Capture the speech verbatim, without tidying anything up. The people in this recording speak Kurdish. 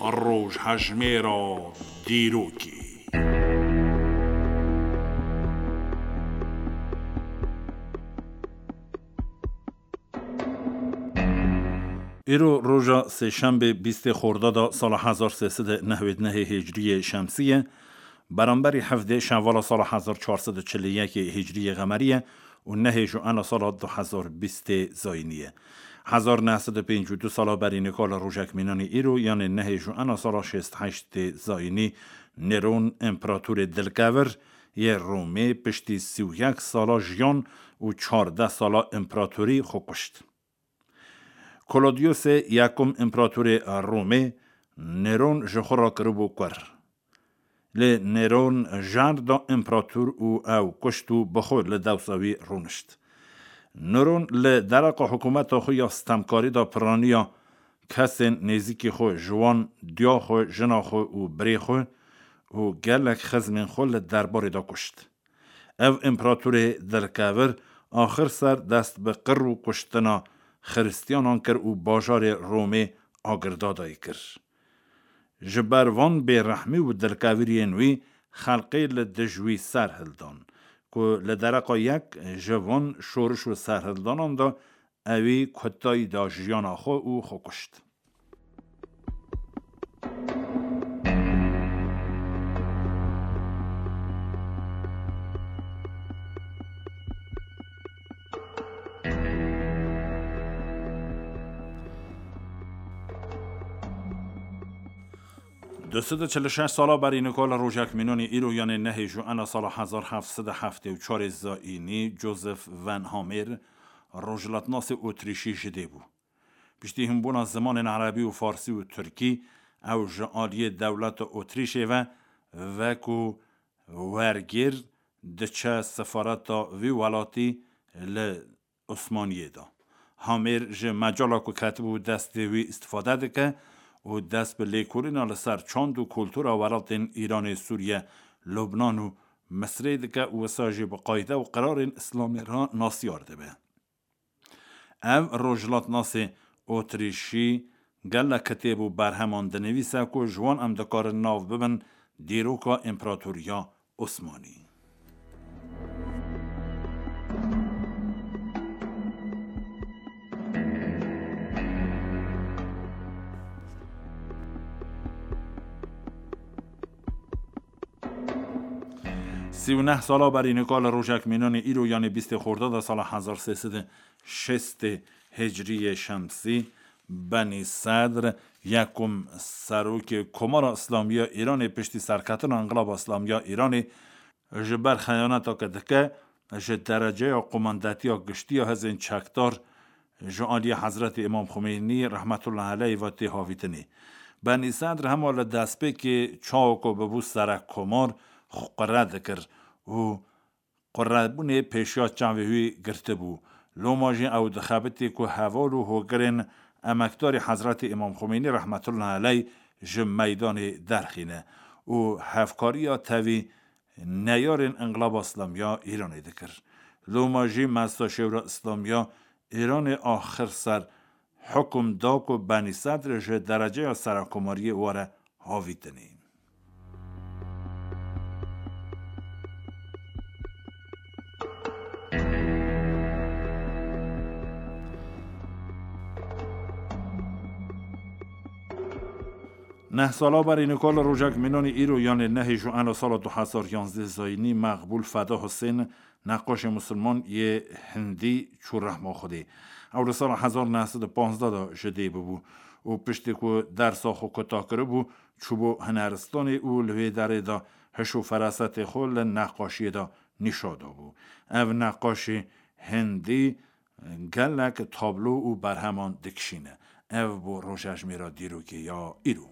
Rojhejmêra dîrokê. Îro roja sêşembê bîstê Xordada sala hezar sê sed û newêd nehê Hicriyê Şemsî ye, beramberî hevdê Şevala sala hezar çar sed û çil û yekê Hicriyê Xemerî ye û nehê Juena sala du hezar bîstê Zayînî ye. Hezar neh sed û pêncî û du sala berî nika li rojek mînanî îro, yanê nehê Juena sala şêst heştê Zayînî, Nêron, împeratorê dilkevir yê Romê, piştî sî û yek sala jiyan û çardeh sala împeratorî xwe kuşt. Klodiyosê Yekum, împeratorê Romê, Nêron ji xwe re kiribû kur. Lê Nêron jar da împerator û ew kuşt û bi xwe li dewsa wî rûnişt. Nêron li dereqa hikûmeta xwe ya stemkarî de piraniya kesên nêzîkî xwe, ji wan diya xwe, jina xwe û birê xwe û gelek xizmên xwe li derbarê de kuşt. Ev împeratorê dilkevir axir ser dest bi qir û kuştina xiristiyanan kir û bajarê Romê agirdadayî kir. Ji ber van bêrehmî û dilkeviriyên wî xelkê li dij wî serhildan, ku li dereqa yek ji van şoriş û serhildanan de ewî kutayî da jiyana xwe û xwe kuşt. Du sed û çil û şeş sala berî nika li rojek mînanî îro, yanê nehê Juena sala hezar heft sed û heftê û çarê Zayînî, Joseph von Hammer, rojhilatnasê Otrîşî ji dê bû. Piştî hînbûna zimanên erebî û farsî û tirkî, ew ji aliyê dewleta Otrîşê ve wekû wergêr diçe sefareta vî welatî li Osmaniyê de. Hamêr ji mecala ku ketibû destê wî îstifade dike û dest bi lêkolîna li ser çand û kultura welatên Îranê, Sûriye, Lubnan û Misirê dike û wisa jî bi qayde û qirarên Îslamê re nasyar dibe. Ev rojhilatnasê Otrîşî gelek kitêb û berheman dinivîse ku ji wan em dikarin nav bibin dîroka Împeratoriya Osmanî. Sî û neh sala berî nika li rojek mînanê îro, yanê bîstê Xordada sala hezar sê sed û şêstê Hicriyê Şemsî, Benî Sedr, yekum serokê Komara Îslamî ya Îranê, piştî serketina Înqilaba Îslamî ya Îranê, ji ber xeyaneta ke dike, ji dereceya qumandetiya giştî ya hêzên çekdar ji aliyê Hezretî Îmam Xumênî rehmetullah aleyh ve tê havîtinê. Benî Sedr hema li destpêkê çawa ku bibû serek komar, xwe qire dikir û qurebûnê pêşiya çavê wî girtibû. Loma jî ew dixebitî ku heval û hogirên emekdarî Hezretî Îmam Xumênî rehmetullah aleyh ji meydanê derxîne û hevkariya tevî neyarên Înqilaba Îslamî ya Îranê dikir. Loma jî Meclisa Şêwra Îslamî ya Îranê axir ser hukum da ku Benî Sedr ji dereceya serekomariyê were havîtinê. Neh sala berî nika li rojek mînanî îro, yanê nehê Juena sala du hezar yanzdeh Zayînî, Meqbûl Feda Husên, neqaşê misilman yê hindî, çû rehma Xwedê. Ew li sala hezar neh sed û panzdeh de ji dê bûbû û piştî ku dersa xwe kuta kiribû, çûbû hinaristanê û li wê derê de hiş û ferasetê xwe li neqaşiyê de nîşa dabû. Ev neqaşê hindî gelek tablo û berheman dikişîne. Ev bû rojejmêra dîrokê ya îro.